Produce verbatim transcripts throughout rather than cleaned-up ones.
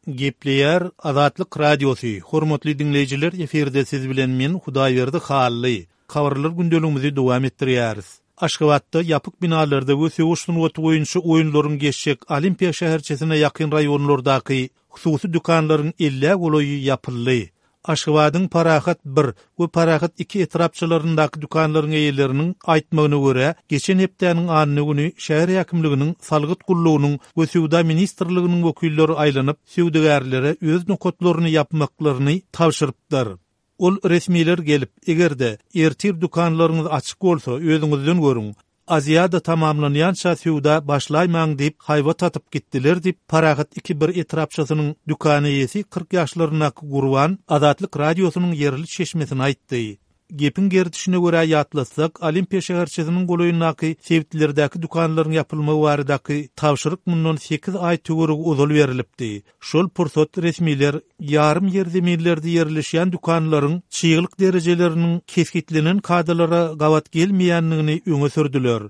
Gepleýär Azatlyk Radiosy, Hormatly diňleýjiler efirde siz bilen men Hudaýberdi Hally. Habarlar gündeligimizi dowam etdirýäris. Aşgabatda ýapyk binalarda we söweş sungaty boýunça oýunlaryň geçjek Olimpiýa şäherçesine ýakyn raýonlardaky hususy dükanlaryň ellä golaýy ýapyldy. Aşgabadyň Parahat bir we Parahat iki etrapçalaryndaky dükanlaryň eýeleriniň aýtmagyna görä, geçen hepdäniň anna güni şäher häkimliginiň, salgyt gullugynyň we söwda ministrliginiň wekilleri aýlanyp, söwdagärlere öz nokatlaryny ýapmaklaryny tabşyrypdyr. Ol resmiler gelip, eger-de ertir dükanlaryňyz açyk bolsa, özüňizden görüň, Aziada tamamlanýança söwda başlaýmaň diýip, haýbat atyp gitdiler diýip, Parahat iki bir etrapçasynyň dükan eýesi kyrk ýaşlaryndaky Gurban Azatlyk Radiosynyň ýerli çeşmesine aýtdy. Gepiň gerdişine görä ýatlatsak, Olimpiýa şäherçesiniň golaýyndaky sebitlerdäki dükanlaryň ýapylmagy baradaky tabşyryk mundan sekiz aý töweregi ozal berlipdi. Şol pursat resmiler ýarym ýerzeminlerde ýerleşýän dükanlaryň çyglyk derejeleriniň kesgitlenen kadalara gabat gelmeýändigini öňe sürdüler.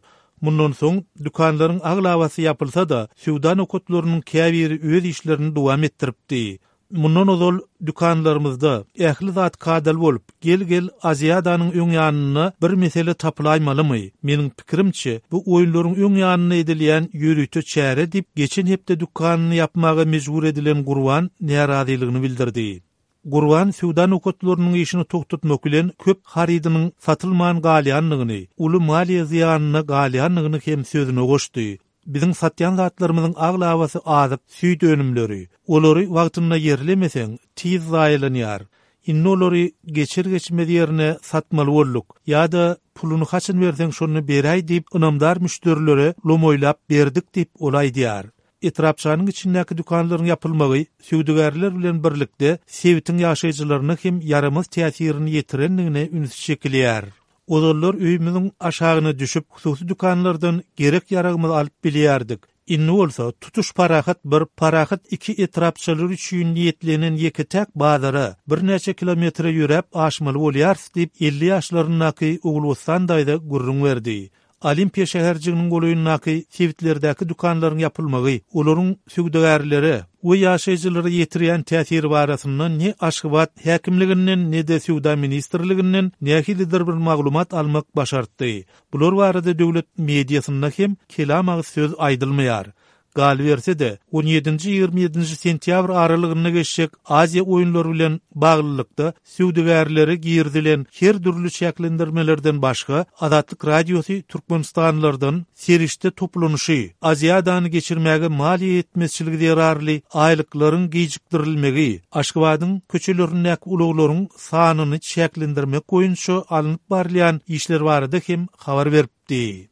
Mundan soň dükanlaryň aglabasy ýapylsa-da, söwda nokatlarynyň käbiri öz işlerini dowam etdiripdi. Mundan ozal dükanlarymyzda ähli zat kadaly bolup, gel-gel Aziadanyň öň ýanynda bir mesele tapylaýmalymy? Meniň pikirimçe, bu oýunlaryň öň ýanynda edilýän ýörite çäre diýip, geçen hepde dükanyny ýapmaga mejbur edilen Gurban närazylygyny bildirdi. Gurban söwda nokatlarynyň işini togtatmak bilen köp harydynyň satylman galýandygyny, uly maliýe zyýanyna galýandygyny hem sözüne goşdy. Biziň satýan zatlarymyzyň aglabasy azyk, süýt önümleri. Olary wagtynda ýerlemeseň, tiz zaýalanýar. Indi olary geçer-geçmez ýerine satmaly bolduk. Ýa-da puluny haçan berseň şonda beräý diýip ynamdar müşderilere lomaýlap berdik diýip ol aýdýar. Etrapçanyň içindäki dükanlaryň ýapylmagy söwdagärler bilen birlikde sebitiň ýaşaýjylaryna hem ýaramaz täsirini ýetirendigine üns çekilýär. Ozallar öýümiziň aşagyna düşüp, hususy dükanlardan gerek-ýaragymyzy alyp bilýärdik. Indi bolsa tutuş Parahat bir, Parahat iki etrapçalary üçin niýetlenen ýeke-täk bazara birnäçe kilometre ýöräp aşmaly bolýarys diýip, elli ýaşlaryndaky Ogulbossan daýza gürrüň berdi. Olimpiýa şäherjiginiň golaýyndaky sebitlerdäki dükanlaryň ýapylmagy, olaryň söwdagärlere we ýaşaýjylara ýetirýän täsiri barasynda ne Aşgabat häkimliginden, ne-de Söwda ministrliginden nähilidir bir maglumat almak başartdy. Bular barada döwlet mediasynda hem kelam agyz söz aýdylmaýar. Galyberse-de, on ýedinji-ýigrimi ýedinji sentýabr aralygynda geçjek Aziýa oýunlary bilen baglylykda söwdagärlere girizilen her dürli çäklendirmelerden başga, Azatlyk Radiosy türkmenistanlylardan serişde toplanyşy, Aziadany geçirmäge maliýe ýetmezçiligi zerarly aýlyklaryň gijikdirilmegi, Aşgabadyň köçelerindäki ulaglaryň sanyny çäklendirmek boýunça alnyp barylýan işler barada hem habar beripdi.